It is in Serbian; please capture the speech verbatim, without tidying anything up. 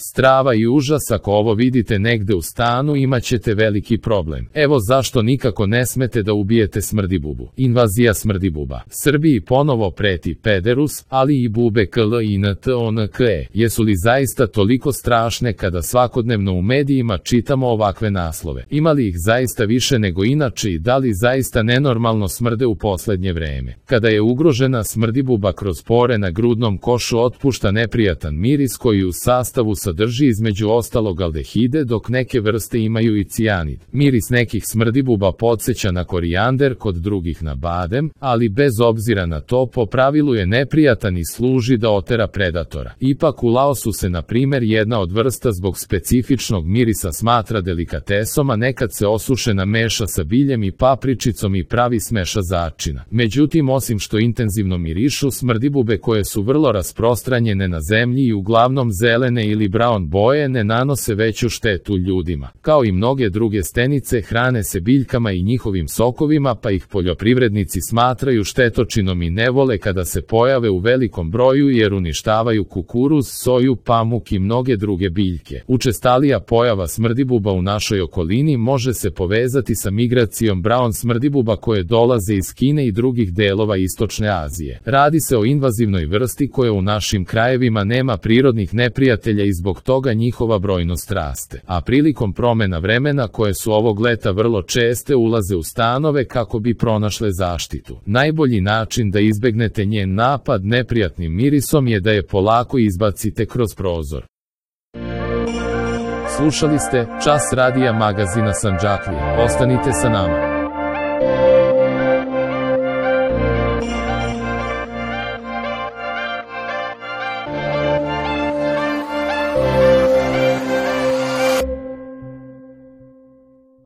Strava i užas, ako ovo vidite negde u stanu imat ćete veliki problem. Evo zašto nikako ne smete da ubijete smrdibubu. Invazija smrdibuba. Srbiji ponovo preti pederus, ali i bube kl i ntonke. Jesu li zaista toliko strašne kada svakodnevno u medijima čitamo ovakve naslove? Ima li ih zaista više nego inače i da li zaista nenormalno smrde u poslednje vreme? Kada je ugrožena smrdibuba kroz pore na grudnom košu otpušta neprijatan miris koji u sastavu sadrži između ostalog aldehide, dok neke vrste imaju i cijanid. Miris nekih smrdibuba podsjeća na korijander, kod drugih na badem, ali bez obzira na to po pravilu je neprijatan i služi da otera predatora. Ipak u Laosu se na primer jedna od vrsta zbog specifičnog mirisa smatra delikatesom, a nekad se osušena meša sa biljem i papričicom i pravi smeša začina. Međutim, osim što intenzivno mirišu, smrdibube koje su vrlo rasprostranjene na zemlji i uglavnom zelene ili brown boje ne nanose veću štetu ljudima. Kao i mnoge druge stenice, hrane se biljkama i njihovim sokovima, pa ih poljoprivrednici smatraju štetočinom i ne vole kada se pojave u velikom broju jer uništavaju kukuruz, soju, pamuk i mnoge druge biljke. Učestalija pojava smrdibuba u našoj okolini može se povezati sa migracijom brown smrdibuba koje dolaze iz Kine i drugih delova Istočne Azije. Radi se o invazivnoj vrsti koja u našim krajevima nema prirodnih neprijatelja i zbog toga njihova brojnost raste. A prilikom promena vremena, koje su ovog leta vrlo česte, ulaze u stanove kako bi pronašle zaštitu. Najbolji način da izbegnete njen napad neprijatnim mirisom je da je polako izbacite kroz prozor. Slušali ste Čas radija magazina Sandžaklija. Ostanite sa nama.